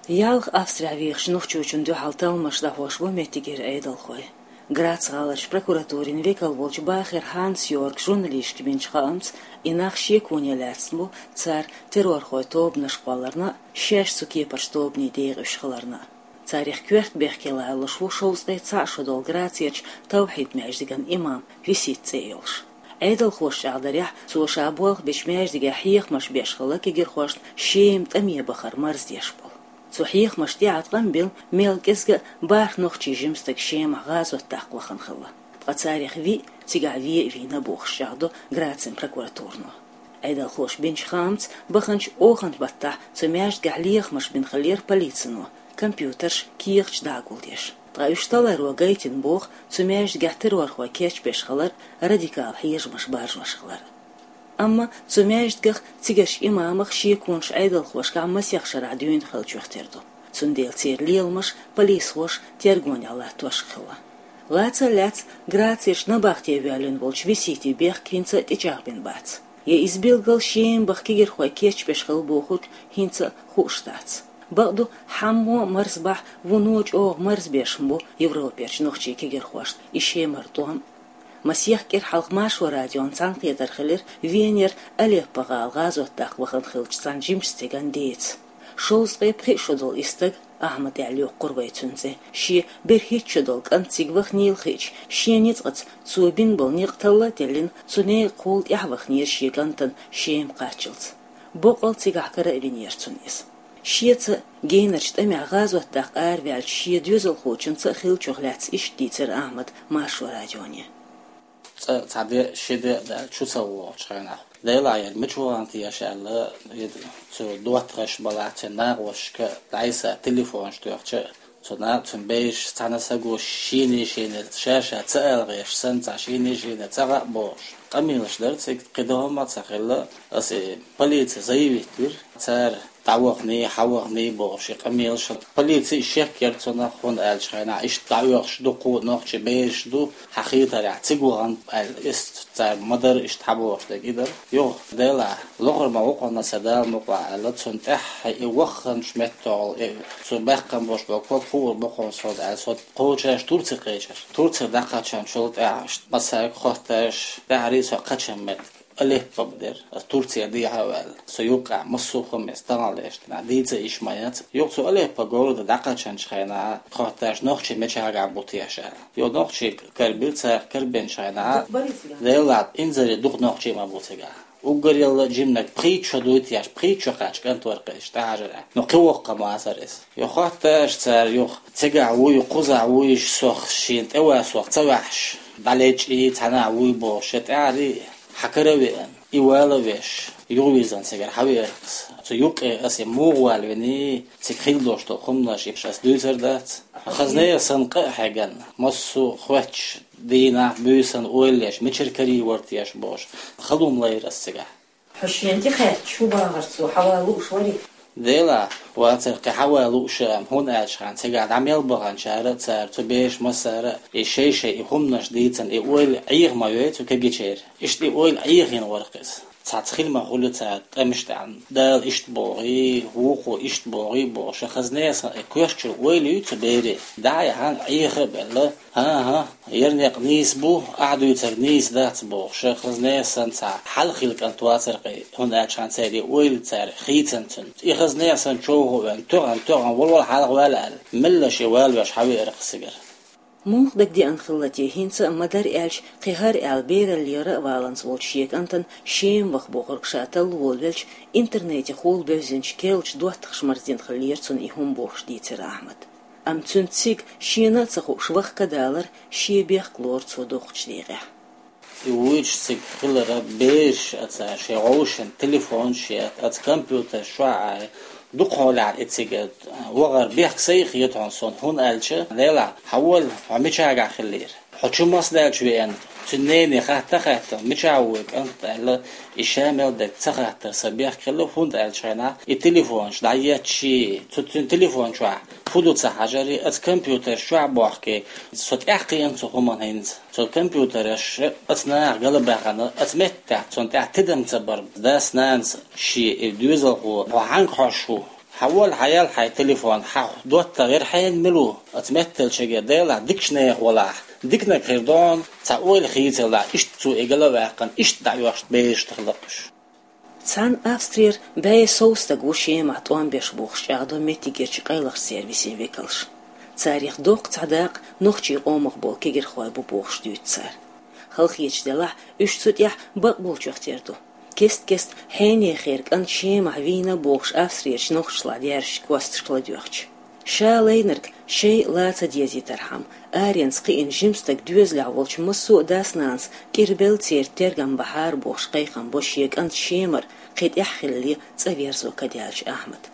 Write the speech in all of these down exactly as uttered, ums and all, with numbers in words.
Ялх Австрехь вехаш нохчочун дуьхьал талламаш дӀахьош бу меттигера Ӏедалхой. Грац гӀаларчу прокуратурин векал волчу Бахер Ханс-Йорг журналисташка бинчу хаамца, и нах шеконе лаьцна бу, цара террорхойн тобанаш кхолларна а, шаьш цу кепарчу тобанийн декъаш хиларна а. Царах коьрта бехке лоруш ву шовзткъе цхьаъ шо долу Грацерчу Тавхьид-маьждиган имам Висит цӀе йолуш. Ӏедалхоша чӀагӀдарехь, цо ша болх бечу маьждигехь хьехамаш беш хилла кегирхошна Шема тӀаме бахар марздеш болу. Цу хьехамашна тӀаьхьа къам бина, мел кӀезга а бархӀ нохчийн жима стаг Шемахь гӀазот даккха вахана хилла. Ткъа царах виъ цигахь вен а вийна бохуш чӀагӀдо Грацин прокуратуро. Ӏедалхоша бинчу хаамца, баханчу оханан баттахь цу маьждигехь лехамаш бина хиллера полицино, компьютерш, кехаташ дӀагулдеш. Ткъа уьш таларо гайтина боху цу маьждигехь террорхой кечбеш хилар, радикал хьежамаш баржош хилар. Амма цу маьждигах, цигарчу имамах шеконаш Ӏедалхошкахь масех шарахь дуьйна хиллачух тера ду. Цундела церан леламаш полисхоша тергонехь латтош хилла. Лаца а лаьцна, Грацерчу набахте воьллина волчу Виситин бехк хӀинца а тӀечӀагӀбина бац. Я иза билггал Шема баха кегирхой кечбеш хилла бохург хӀинца а хууш дац. Бакъду, хьаммо а марзбахь, вуно чӀогӀа марзбеш хӀума бу Европерчу нохчийн кегирхошна и Шемара тӀом. Масех кӀира хьалха Маршо радион цхьаьнакхетар хилира Венера Алеппо-гӀала гӀазот даккха вахана хиллачу цхьана жимачу стеган деца. Шовзткъе пхиъ шо долу и стаг, Ахьмад аьлла йоккхура вай цуьнан цӀе, шен берхӀитта шо долу кӀант цига ваханийла хиъча, шен ницкъаца цо бина болу некъ талла а теллина, цу некъахула тӀаьхьаваханера шен кӀантана Шема кхаччалц. Боккъал цигахь кара а винера цунна иза. Шеца генарчу тӀамехь гӀазот даккха араваьллачу шен доьзалхочунца а хиллачух лаьцна иштта дийцира Ахьмада Маршо радионе. Цкъа цхьа де, ши де а даьлла, чу ца вогӀучу хенахь, Делахь, яра мича вахана теша аьлла, и цу доттагӀаша балахь, цуьнан накъосташка дӀасаьцна телефонаш тоьхча, цу на-, цуьнан бераш цхьана саго шена-шена ша-ша ца ала гӀерташ санна, цхьа шена-шена ца хаьа бохуш, къамелаш дара цига, кхин дан хӀума а ца хилла. Аса и полице заявить вира, цара дӀаваханий, хьаваханий бохуш, и къамелаш. Полици шек яра цунах, хӀунда аьлча хенахь иштта дӀаоьхуш дукха нохчийн бераш ду, хьан хетарехь, цига вахана аьлла, иштта цара ма-дарра иштта хьабохуш дерг и дара. Юха, Делахь, лохур ма ву кхунна сан, Дала мукъалахь аьлла, цунна тӀаьххьа и вахханчу меттехула, и цу баьккхина болуш болу ког хуур бу кхунна сан аьлла, со кхочуш Турце кхечира. Турцера дӀакхаьчначул тӀаьхьа иштта массаьрга хоттуш, тӀаьхьарий со кхаьчна меттиг Алеппо бу дера, аса Турцера дехьа а ваьлла. Со юккъехь массо а хӀума иза тахана леш дина, дийца йиш ма яц. Юха цу Алеппо города дӀакхаьчначу хенахь хоттуш нохчий мичахь бу теша аьлла. Юха нохчий карабира цара, карабинчу хенахь, Делахь, инзаре дукха нохчий ма бу цигахь. Уггар ялла жиманиг пхийтта шо дуй теша, пхийтта шо кхаьчна кӀант вара-кх иза тӀехьажарехь. Ну, кхин воккха ма вацара иза. Юха хоттуш цара, юха цигахь вуй, кхузахь вуй, сох шена тӀе ван, сох ца ваьхьаш, дӀалечкъий, цхьанхьа вуй бохуш, я тӀаьхьарий хьан кара а веана, и вала а веш, юхавирзина цигара хьавеара-кх аса. Цу юккъе аса и муха валавиний, цига хилла долуш долу хӀуманаш, иш аса дуьйцур дац. Хазне а санна къа а хьегна, массо а хоьттуш, дийнахь, буьйсанна ойла еш, мичара карийна вара теша бохуш, хала хӀума лайра аса цигахь. Хьо шена тӀе хаьттича, хӀун бахара цо, хьан ван лууш варий? Делахь, вацара-кх, хьан ван лууш а, хӀунда аьлча хьан цигахь дӀа мел баханчара а, цара, цу бераша массара а, и шай-шай и хӀуманаш дийцина, и ойла Ӏеха ма йой цу кегийчеран. Иштта и ойла Ӏехийна вара-кх иза. Цхьацца хила ма хуьлу цара тӀамаш тӀехь, Дала иштта бохий, вукхо иштта бохий бохуш, хазне а санна и коьртачуьра ойла юй цу берийн. ДӀа а яхьна, Ӏеха а белла, хӀан-хӀа, яра некъ нийса бу, ахь дуьйцург нийса дац бохуш, хазне а санна цхьа хьалха хилла кӀант вацара-кх и, хӀунда аьлча хьан церан и ойла цара хийцина цуьнан. И хазне а санна човха а веана, тоьхна-тоьхна, вала-вала хьалха вала аьлла, меллаша и валавеш хьавеара-кх аса цигара. Муха дагадеана хилла те хӀинца а, ма-дарра аьлча, кхин хӀара аьлла бераллера а валанза волчу шен кӀантана Шема ваха бохург ша талла волавелча, интернетехула бевзинчу керлачу доттагӀаша марздина хиллера цунна и хӀума бохуш дийцира Ахьмада. Амма цуьнан цига шена а ца хууш ваха ка далар шен бехк лору цо доккхачу декъехь. И вуьйцуш цига хиларан бераш а цара шайн гӀовшашна телефонаш а етта, оцу компьютерш чохь а, дукха хьолахь и цига вахар бехк сай а хета хьуна суна, хӀунда аьлча, Делахь, хьан вала, хьо мичахь хиллера? Хьо чу мас даьлча веана? Цуьнан нене хатта а хаьттина, мичахь вуй кӀант аьлла, и ша мел дерг ца хаттар сан бехк хилла, хӀунда аьлча хьайна и телефонаш дӀаетташ, цу цуьнан телефон чохь хӀун ду ца хьажарий, оцу компьютерш чохь а бохкий, со тӀаьхкхиъна цу хӀуманна хӀинца. Цу компьютераш оцу наха галбаьхна, оцу меттехь цунна тӀехь тидам ца бар, дас-нанас шен и доьзалхо, хьо хьаьнга хьожуш ву, Хьан волла хьаял хьай телефон, хьа доттагӀа яр хьайна мила ву? Аца метталчаге делахь, дикачу нехан волахь, диканаг хир дон, цхьа ойла хийцалахь, иштта цо и гала ваьккхина, иштта дӀаоьхуш бераш тахлакхуш. Цхьана Австрера бӀе сов стаг ву Шемахь тӀом беш бохуш чӀагӀдо меттигерчу къайлахчу сервисийн векалш. Царих доккха цхьа дакъа нохчийн къомах болу кегирхой бу бохуш дуьйцу цара. Халахеташ делахь, уьш цу тӀехь бакъболчех тера ду. Кест-кеста хьенехера кӀант Шемахь вийна бохуш Австрерчу нохчашлахь даьржачу косташка ладоьгӀча. Ша лайнарг шайн ла ца дезийтархьама, аренца кхиъна жима стаг доьзалехь волчу массо а дас-нанас кӀирбелла церан тергам бахьара бохуш кхайкхам бо шен кӀант Шемара кхин тӀаьхьа хилале цӀа верзо кадаьллачу Ахьмада.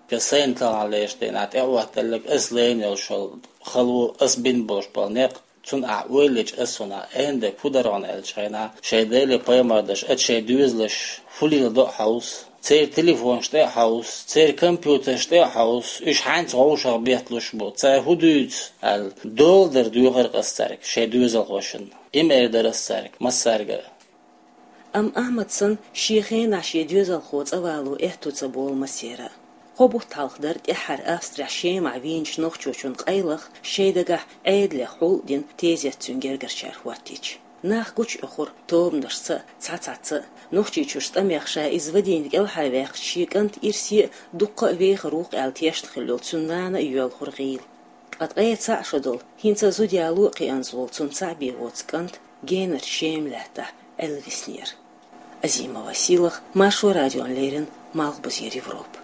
Ка сайна талхьан леш дена тӀеӀоттаделларг ас лайна йолуш йолу хало, ас бина болуш болу некъ, цунна ахь ойла йича, ас цунна аьннарг хӀун дара хьуна аьллачу хенахь, шайн Деле пайхамар даш, ат шайн доьзалаш хӀун леладо а хьовса, церан телефонаш тӀе а хьовса, церан компьютераш тӀе а хьовса, уьш хьаьнца вовшах бетталуш бу, цара хӀун дуьйцу аьлла, доладар доьхура ас цаьрга, шайн доьзалхошна. И ма эр дара ас цаьрга, массаьрга а. Амма Ахьмад санна, шен хенахь шен доьзалхо цӀа вало аьтту ца болу массеран а. Кхо бутт хьалха дара тӀаьххьара Австрехь Шемахь вийначу нохчочун къайлаха шайн дагахь Ӏедалех хьул а дина тезет цуьнан гергарчара хӀоттийча. Нах гучуоьхура тобанашца а, цхьа-цхьацца а, Нохчийчуьрчу тӀамех ша иза вадийна кӀелхьарваьккхича шен кӀанта ирсе а, дуккха а вехар ву-кх аьлла тешна хилла йолу цуьнан нана а йоьлхура гӀийла. Ткъа ткъе цхьаъ шо долу, хӀинца а зуда яло а кхиъна волу цунна цхьаъ бен воцу кӀант генарчу Шема лаьттахь Ӏелвиснера. Азимова Сийлаха, Маршо радиона леррина, Малхбузера Европа.